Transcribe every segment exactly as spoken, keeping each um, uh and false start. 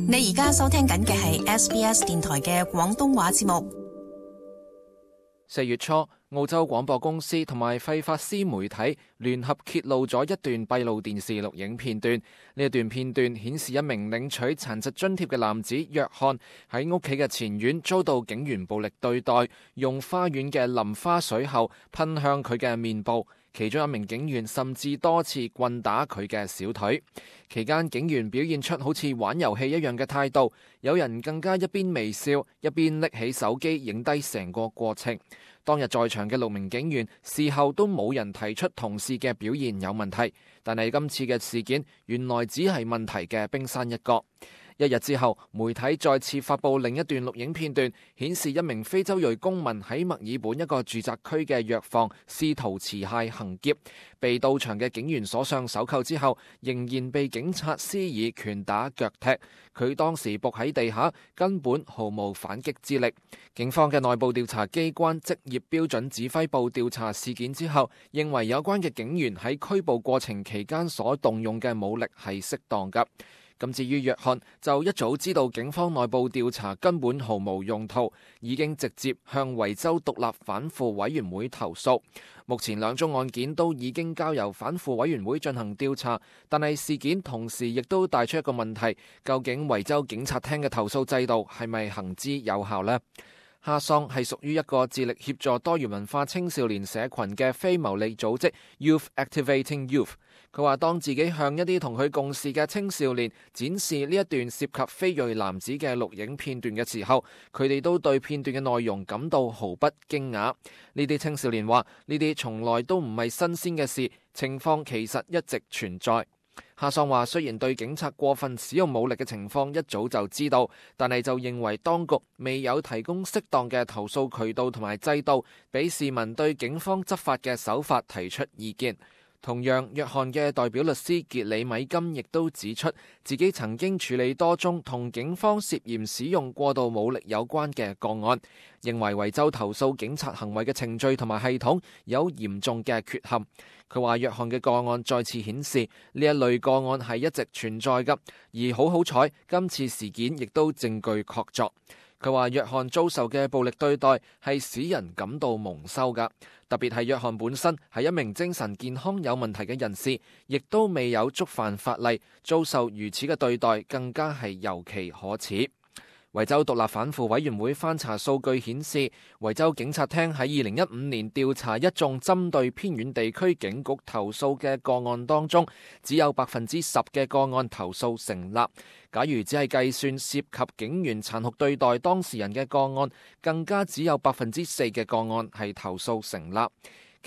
你而家收聽緊嘅係 S B S 電台嘅廣東話節目。四月初，澳洲廣播公司同埋費法斯媒體聯合揭露咗一段閉路電視錄影片段。呢一段片段顯示一名領取殘疾津貼嘅男子約翰喺屋企嘅前院遭到警員暴力對待，用花園嘅淋花水後噴向佢嘅面部。其中一名警員甚至多次棍打佢嘅小腿。期間警員表現出好似玩遊戲一樣嘅態度，有人更加一邊微笑一邊拎起手機影低成個過程。當日在場嘅六名警員事後都冇人提出同事嘅表現有問題，但係今次嘅事件原來只係問題嘅冰山一角。一日之後，媒體再次發布另一段錄影片段，顯示一名非洲裔公民喺墨爾本一個住宅區嘅藥房試圖持械行劫，被到場嘅警員鎖上手銬之後，仍然被警察施以拳打腳踢。佢當時仆喺地下，根本毫無反擊之力。警方嘅內部調查機關職業標準指揮部調查事件之後，認為有關嘅警員喺拘捕過程期間所動用嘅武力係適當㗎。咁至於約翰就一早知道警方內部調查根本毫無用途，已經直接向維州獨立反腐委員會投訴。目前兩宗案件都已經交由反腐委員會進行調查，但係事件同時亦都帶出一個問題，究竟維州警察廳嘅投訴制度係咪行之有效呢？哈桑係屬於一個致力協助多元文化青少年社群嘅非牟利組織 Youth Activating Youth。佢話當自己向一啲同佢共事嘅青少年展示呢一段涉及非裔男子嘅錄影片段嘅時候，佢哋都對片段嘅內容感到毫不驚訝。呢啲青少年話呢啲從來都唔係新鮮嘅事，情況其實一直存在。哈桑話雖然對警察過分使用武力嘅情況一早就知道，但係就認為當局未有提供適當嘅投訴渠道同埋制度，俾市民對警方執法嘅手法提出意見。同樣，約翰嘅代表律師傑里米金亦都指出，自己曾經處理多宗同警方涉嫌使用過度武力有關嘅個案，認為維州投訴警察行為嘅程序同埋系統有嚴重嘅缺陷。佢話約翰嘅個案再次顯示呢一類個案係一直存在㗎，而好好彩今次事件亦都證據確鑿。佢話約翰遭受嘅暴力對待係使人感到蒙羞㗎，特別係約翰本身係一名精神健康有問題嘅人士，亦都未有觸犯法例，遭受如此嘅對待更加係尤其可恥。維州獨立反腐委員會翻查數據顯示，維州警察廳喺二零一五年調查一眾針對偏遠地區警局投訴嘅個案當中，只有百分之十嘅個案投訴成立。假如只係計算涉及警員殘酷對待當事人嘅個案，更加只有百分之四嘅個案係投訴成立。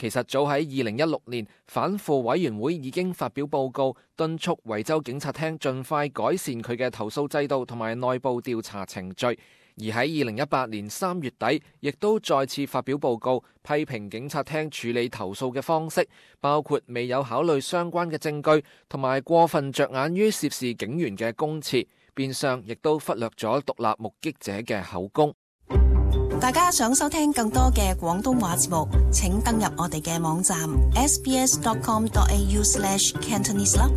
其實早喺二零一六年，反腐委員會已經發表報告，敦促維州警察廳盡快改善佢嘅投訴制度同埋內部調查程序。而喺二零一八年三月底，亦都再次發表報告，批評警察廳處理投訴嘅方式，包括未有考慮相關嘅證據，同埋過分着眼於涉事警員嘅供詞，變相亦都忽略咗獨立目擊者嘅口供。大家想收聽更多嘅廣東話節目，請登入我哋嘅網站 s b s dot com dot a u slash cantonese 啦。